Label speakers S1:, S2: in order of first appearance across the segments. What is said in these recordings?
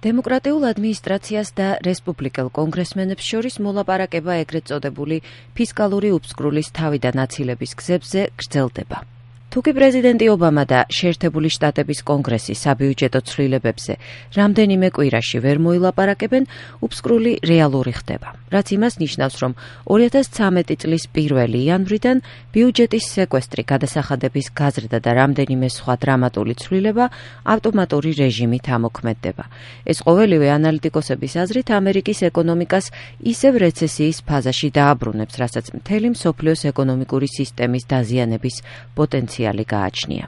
S1: დემოკრატიულ ადმინისტრაციას და რესპუბლიკელ კონგრესმენებს შორის მოლაპარაკება ეგრეთ წოდებული ფისკალური უფსკრულის თავიდან აცილების გზებზე გრძელდება. თუკი პრეზიდენტი ობამა და შეერთებული შტატების კონგრესი საბიუჯეტო ცვლილებებზე რამდენიმე კვირაში ვერ მოილაპარაკებენ, უფსკრული რეალური ხდება, რაც იმას ნიშნავს, რომ 2013 წლის 1 იანვრიდან ბიუჯეტის სეკვესტრი, გადასახადების გაზრდა და რამდენიმე სხვა დრამატული ცვლილება ავტომატური რეჟიმით ამოქმედდება. ეს ყოველივე ანალიტიკოსების აზრით ამერიკის ეკონომიკას ისევ რეცესიის ფაზაში დააბრუნებს, რასაც მთელი მსოფლიოს ეკონომიკური სისტემის დაზიანების პოტენციალი გააჩნია.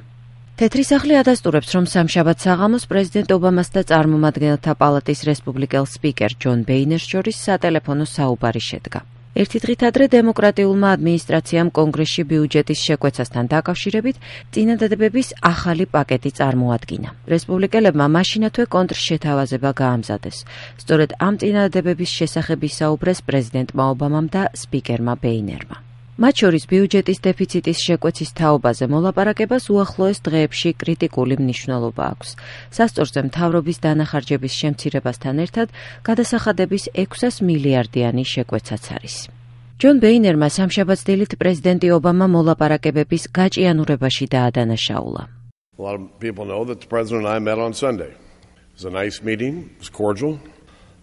S1: თეთრი სახლი ადასტურებს, რომ სამშაბათ საღამოს პრეზიდენტ ობამას და წარმომადგენელთა პალატის რესპუბლიკელ სპიკერ ჯონ ბეინერს შორის სატელეფონო საუბარი შედგა. ერთი დღით ადრე დემოკრატიულმა ადმინისტრაციამ კონგრესში ბიუჯეტის შეკვეცასთან დაკავშირებით წინადადებების ახალი პაკეტი წარმოადგინა. რესპუბლიკელებმა მაშინათვე კონტრშეთავაზება გაამზადეს. სწორედ ამ წინადადებების შესახებ ისაუბრეს პრეზიდენტმა ობამამ და სპიკერმა ბეინერმა. მათ შორის ბიუჯეტის დეფიციტის შეკვეცის თაობაზე მოლაპარაკებას უახლოეს დღეებში კრიტიკული მნიშვნელობა აქვს. სასწორზე მთავრობის დანახარჯების შემცირებასთან ერთად გადასახადების 600 მილიარდიანი შეკვეცაც არის. ჯონ ბეინერმა სამშაბათს დილით პრეზიდენტი ობამა მოლაპარაკებების გაჭიანურებაში დაადანაშაულა.
S2: A lot of people know that the president and I met on Sunday. It was a nice meeting, it was cordial.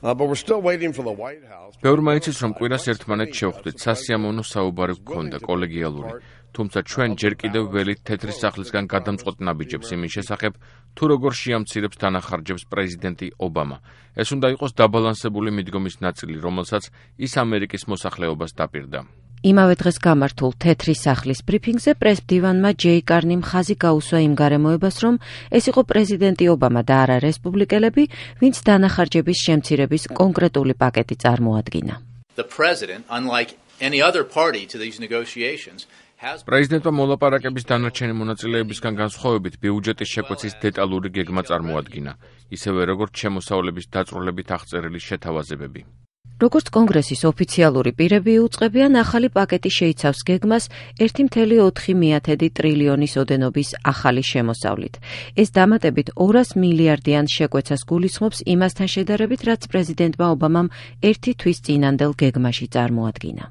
S2: But we're still waiting for the White House.
S3: ბევრმა იცის, რომ კვირას ერთმანეთს შევხვდით, სასიამოვნო საუბარი გქონდა, კოლეგიალური. თუმცა ჩვენ ჯერ კიდევ ველით თეთრი სახლისგან გადამწყვეტ ნაბიჯებს იმის შესახებ, თუ როგორ შეამცირებს დანახარჯებს პრეზიდენტი ობამა. ეს უნდა იყოს დაბალანსებული მიდგომის ნაწილი, რომელსაც ის ამერიკის მოსახლეობას დაპირდა.
S1: იმავე დღეს გამართულ თეთრი სახლის ბრიფინგზე პრეს-მდივანმა ჯეი კარნიმ ხაზი გაუსვა იმ გარემოებას, რომ ეს იყო პრეზიდენტი ობამა და არა რესპუბლიკელები, ვინც დანახარჯების შემცირების კონკრეტული პაკეტი წარმოადგინა.
S3: პრეზიდენტმა მოლაპარაკების დანარჩენი მონაწილეებისგან განსხვავებით ბიუჯეტის შეკვეცის დეტალური გეგმა წარმოადგინა, ისევე როგორც შემოსავლების დაწვრილებით აღწერილი შეთავაზებები.
S1: როგორც კონგრესის ოფიციალური პირები იუწყებიან, ახალი პაკეტი შეიცავს გეგმას 1,4 ტრილიონის ოდენობის ახალი შემოსავლით. ეს დამატებით 200 მილიარდიან შეკვეცას გულისხმობს იმასთან შედარებით, რაც პრეზიდენტმა ობამამ 1 თვის წინანდელ გეგმაში წარმოადგინა.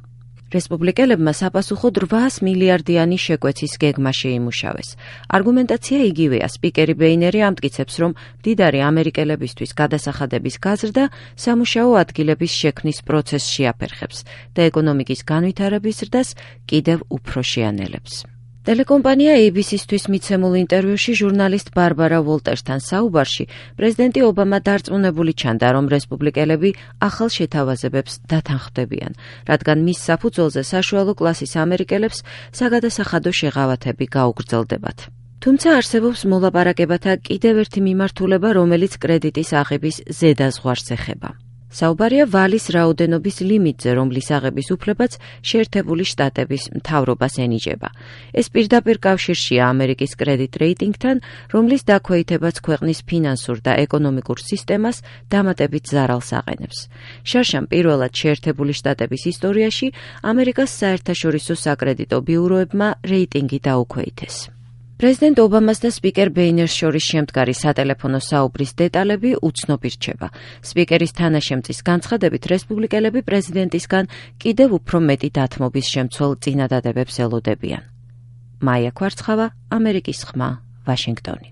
S1: რესპუბლიკელებმა საპასუხოდ 800 მილიარდიანი შეკვეცის გეგმა შეიმუშავეს. არგუმენტაცია იგივეა. სპიკერი ბეინერი ამტკიცებს, რომ მდიდარი ამერიკელებისთვის გადასახადების გაზრდა სამუშაო ადგილების შექმნის პროცესს შეაფერხებს და ეკონომიკის განვითარების ზრდას კიდევ უფრო შეანელებს. ტელეკომპანია ABC-თვის მიცემულ ინტერვიუში ჟურნალისტ ბარბარა ვოლტერსთან საუბარში პრეზიდენტი ობამა დარწმუნებული ჩანდა, რომ რესპუბლიკელები ახალ შეთავაზებებს დათანხმდებიან, რადგან მის საფუძველზე საშუალო კლასის ამერიკელებს საგადასახადო შეღავათები გაუგრძელდებათ. თუმცა არსებობს მოლაპარაკებათა კიდევ ერთი მიმართულება, რომელიც კრედიტის აღების ზედაზღვარს ეხება. საუბარია ვალის რაოდენობის ლიმიტზე, რომლის აღების უფლებაც შეერთებული შტატების მთავრობას ენიჭება. ეს პირდაპირ კავშირშია ამერიკის კრედიტ რეიტინგთან, რომლის დაქვეითებაც ქვეყნის ფინანსურ და ეკონომიკურ სისტემას დამატებით ზარალს აყენებს. შარშან პირველად შეერთებული შტატების ისტორიაში ამერიკას საერთაშორისო საკრედიტო ბიუროებმა რეიტინგი დაუქვეითეს. პრეზიდენტ ობამას და სპიკერ ბეინერს შორის შემდგარი სატელეფონო საუბრის დეტალები უცნობი რჩება. სპიკერის თანაშემწის განცხადებით, რესპუბლიკელები პრეზიდენტისგან კიდევ უფრო მეტი დათმობის შემცველ წინადადებებს ელოდებიან. მაია კვარცხავა, ამერიკის ხმა, ვაშინგტონი.